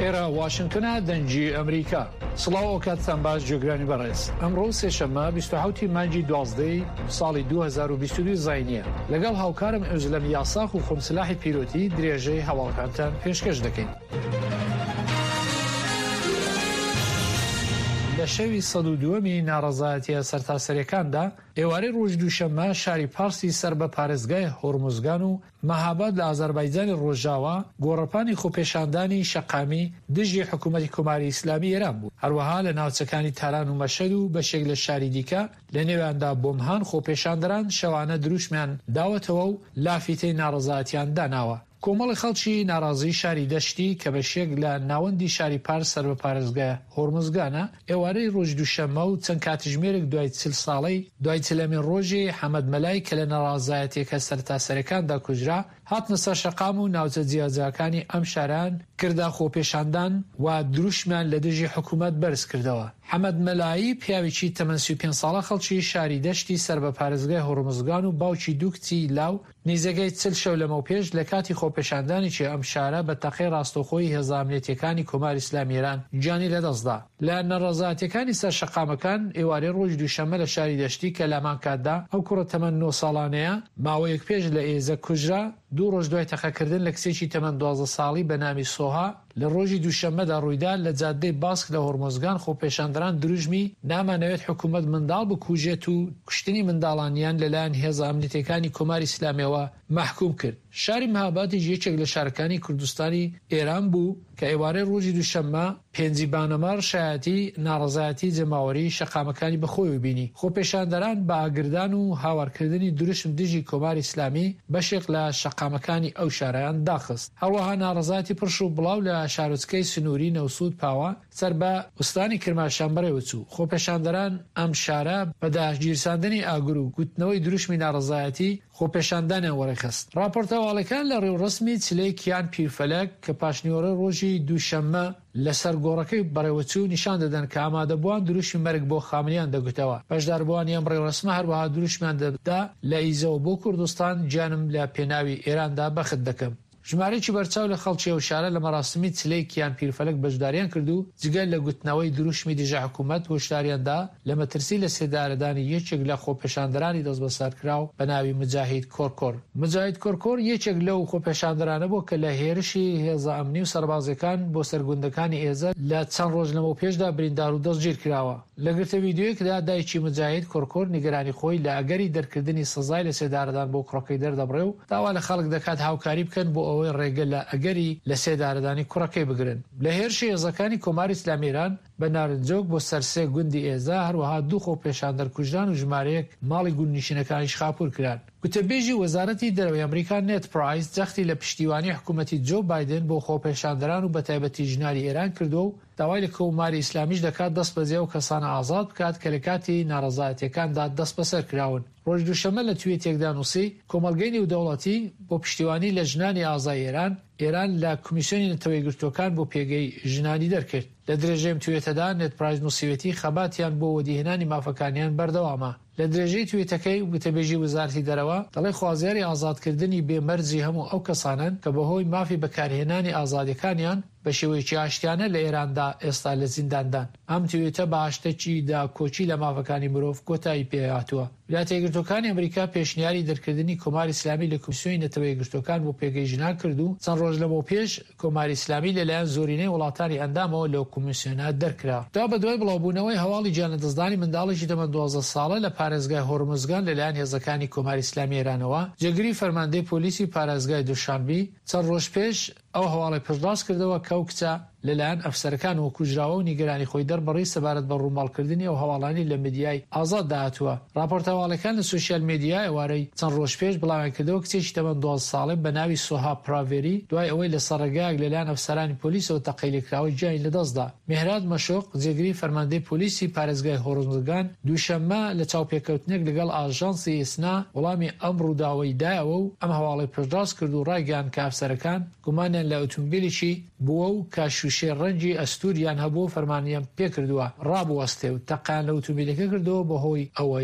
ئێرە واشنتنە دەنگی ئەمریکا. سڵاو ئەوکاتتان باش جێگرانی بەڕێز. ئەمڕۆ سێشەممە 27 ی مانگی دوازدەی ساڵی 2022 زاینیە. لەگەڵ هاوکارم ئۆزلەم یاساخ و خۆم سلاحی پیرۆتی درێژەی هەواڵەکانتان پێشکەش دەکەین. لە شەوی 102ەمی ناڕەزایەتیە سەرتاسەریەکاندا ئێوارەی ڕۆژی دووشەممە شاری پارسی سەر بە پارێزگای هۆرموزگان و مەهاباد لە ئازەربایجانی ڕۆژاوا گۆڕەپانی خۆپێشاندانی شەقامی دژی حکوومەتی کۆماری ئیسلامی ئێران بوو. هەروەها لە ناوچەکانی تاران و مەشهەد و بەشێک لە شاری دیکە لە نێویاندا بۆمهان خۆپێشاندەران شەوانە دروشمیان داوەتەوە و لافیتەی ناڕەزایەتیان داناوە. کۆمەڵی خەڵکی ناڕازیی شاری دەشتی کە بەشێک لە ناوەندی شاری پارس سەر بە پارێزگای هۆرمزگانە، ئێوارەی ڕۆژی دووشەممە و چەند کاتژمێرێک دوای چل ساڵەی دوای چلەمین ڕۆژی حەمەد مەلای کە لە ناڕازایەتیەکە سەرتاسەریەکاندا کوژرا، هاتنە سەر شەقام و ناوچە جیاجیاکانی ئەم شارەیان کردە خۆپێشاندان و دروشمیان لە دژی حکوومەت بەرز کردەوە. حەمەد مەلایی پیاوێکی تەمەن 35 ساڵە خەڵکی شاری دەشتی سەر بە پارێزگای هۆرمزگان و باوکی دوو کچی لاو نیزەکەی چل شەو لەمەوپێش لە کاتی خۆپێشاندانێکی ئەم شارە بە تەقەی ڕاستەوخۆی هێزە ئەمنیەتیەکانی کۆماری ئیسلامی ئێران گیانی لەدەست دا. لە نەڕەزایەتیەکانی سەر شەقامەکان ئێوارەی ڕۆژی دووشەممە لە شاری دەشتی کە لەهەمان کاتدا ئەو کوڕە تەمەن نۆ ساڵانەیە ماوەیەک پێش لە ئێزە کوژرا، دوو ڕۆژ دوای تەقەکردن لە کچێکی تەمەن 12 ساڵی بە ناوی سۆها لە ڕۆژی دووشەممەدا ڕوویدا، لە جادەی باسک لە هۆرمۆزگان خۆپێشاندەران دروشمی نامانەوێت حکوومەت منداڵ بکوژێت و کوشتنی منداڵانیان لەلایەن هێزە ئەمنیتیەکانی کۆماری ئیسلامیەوە مەحکووم کرد. شاری مهابادیش یەکێک لە شارەکانی کوردستانی ئێران بوو کە ئێوارەی ڕۆژی دووشەممە پێنجی بانەمەڕ شایەتی ناڕەزایەتی جەماوەری شەقامەکانی بەخۆیەوە بینی. خۆپێشاندەران بە ئاگردان و هاوارکردنی دروشم دژی کۆماری ئیسلامی بەشێک لە شەقامەکانی ئەو شارەیان داخست. هەروەها ناڕەزایەتی پرش و بڵاو لە شارۆچکەی سنووری نەوسوود پاوە سەر بە ئوستانی کرماشان بەڕێوەچوو. خۆپێشاندەران ئەم شارە بە داگیرساندنی ئاگر و گوتنەوەی دروشمی ناڕەزایەتی خۆپێشاندانیان وەڕێخست. ڕاپۆرتە هەواڵیەکان لە ڕێوڕەسمی چلەی کیان پیرفەلەک کە پاشنیوەڕۆی ڕۆژی دووشەممە لە سەر گۆڕەکەی بەڕێوەچوو نیشان دەدەن کە ئامادەبووان دروشمی مەرگ بۆ خامنەیان دەگوتەوە. بەشداربووانی ئەم ڕێوڕەسمە هەروەها دروشمیان دەدا لە ئیزەوە بۆ کوردستان گیانم لە پێناوی ئێراندا بەخت دەکەم. ژمارەیەکی بەرچاو لە خەڵکی ئەو شارە لە مەراسمی چلەی کیان پیرفەلەک بەشداریان کرد و جگە لە گوتنەوەی دروشمی دژە حکوومەت هۆشداریان دا لە مەترسی لەسێدارەدانی یەکێک لە خۆپێشاندەرانی دەستبەسەرکراو بە ناوی موجاهید کۆرکۆر. موجاهید کۆرکۆر یەکێک لەو خۆپێشاندەرانە بوو کە لە هێرشی هێزە ئەمنی و سەربازییەکان بۆ سەر گوندەکانی ئێزە لە چەند ڕۆژ لەمەوپێشدا بریندار و دەستگیرکراوە. لە گرتە ڤیدیۆیەکدا دایکی موجاهید کۆرکۆر نیگەرانی خۆی لە ئەگەری دەرکردنی سزای لەسێدارەدان بۆ کوڕەکەی دەردەبڕێ و داوا لە خەڵک دەکات هاوکاری بکەن بۆ ئەوەی ڕێگە لە ئەگەری لەسێدارەدانی کوڕەکەی بگرن. لە هێرشی هێزەکانی کۆماری ئیسلامی ئێران بە نارنجۆک بۆ سەر سێ گوندی ئێزە، هەروەها دوو خۆپێشاندەر کوژران و ژمارەیەک ماڵی گوندنشینەکانیش خاپوور کران. گوتەبێژی وەزارەتی دەرەوەی ئەمریکا نێد پرایس جەختی لە پشتیوانی حکوومەتی جۆ بایدن بۆ خۆپێشاندەران و بەتایبەتی ژنانی ئێران کردووە و داوای لە کۆماری ئیسلامیش دەکات دەستبەجێ ئەو کەسانە ئازاد بکات کە لە کاتی ناڕەزایەتییەکاندا دەستبەسەر کراون. ڕۆژی دووشەممە لە تویتێکدا نووسی، کۆمەڵگەی نێودەوڵەتی بۆ پشتیوانی لە ژنانی ئازای ئێران، ئێران لە کمیسیۆنی نەتەوەیەکگرتووەکان بۆ پێگەی ژنانی دەرکرد. لە درێژەی ئەم تویتەدا نێد پرایس نووسیویەتی خەباتیان بۆ وەدیهێنانی مافەکانیان بەردەوامە. لە درێژەی تویتەکەی وتەبێژی وەزارەتی دەرەوە دەڵێ خوازیاری ئازادکردنی بێ مەرجی هەموو ئەو کەسانەن کە بەهۆی مافی بەکارهێنانی ئازادیەکانیان بە شێوەیەکی ئاشتیانە لە ئێراندا ئێستا لە زینداندان. ئەم تویتە بە هاشتەکی داکۆکی لە مافەکانی مرۆڤ کۆتایی پێهاتووە. ویلایەتە یەکگرتووەکانی ئەمریکا پێشنیاری دەرکردنی کۆماری ئیسلامی لە کۆمیسیۆنی نەتەوە یەکگرتووەکان بۆ پێگەی ژنان کرد و چەند ڕۆژ لەمەوپێش کۆماری ئیسلامی لەلایەن زۆرینەی وڵاتانی ئەندامەوە لەو کۆمیسیۆنە دەرکرا. دوابەدوای بڵاوبوونەوەی هەواڵی گیانلەدەستدانی منداڵێکی تەمەن 12 ساڵە لە پارێزگای هۆرمزگان لەلایەن هێزەکانی کۆماری ئیسلامی ئێرانەوە، جێگری فەرماندەی پۆلیسی پارێزگای دوشانبی چەند ڕۆژ پێش ئەو هەواڵەی پشتڕاست کردەوە کە ئەو کچە لەلایەن ئەفسەرەکانەوە کوژراوە و نیگەرانی خۆی دەربڕی سەبارەت بە ڕووماڵکردنی ئەو هەواڵانەی لە میدیای ئازاددا هاتووە. ڕاپۆرتە هەواڵیەکان لە سۆشیال میدیا ئێوارەی چەند ڕۆژ پێش بڵاویانکردەوە کچێکی تەمەن 12 ساڵێ بە ناوی سۆها پراڤێری دوای ئەوەی لەسەر ڕێگایەک لەلایەن ئەفسەرانی پۆلیسەوە تەقەی لێکراوە گیانی لەدەستدا. مێهراد مەشۆق، جێگری فەرماندەی پۆلیسی پارێزگای هۆرمزگان، دووشەممە لە چاوپێکەوتنێک لەگەڵ ئاژانسی ئیسنا وەڵامی ئەم ڕووداوەی دایەوە و ئەم هەواڵەی پشتڕاست کرد و ڕایگەیاند کە ئەفسەرەکان گومانیان لە ئوتومبیلێکی بووە و کە شووشەی ڕەنگی ئەستووریان هەبووە فەرمانیان پێکردووە ڕابوەستێ و تەقەیان لە ئوتومبیلەکە کردووە بەهۆی ئەوەی.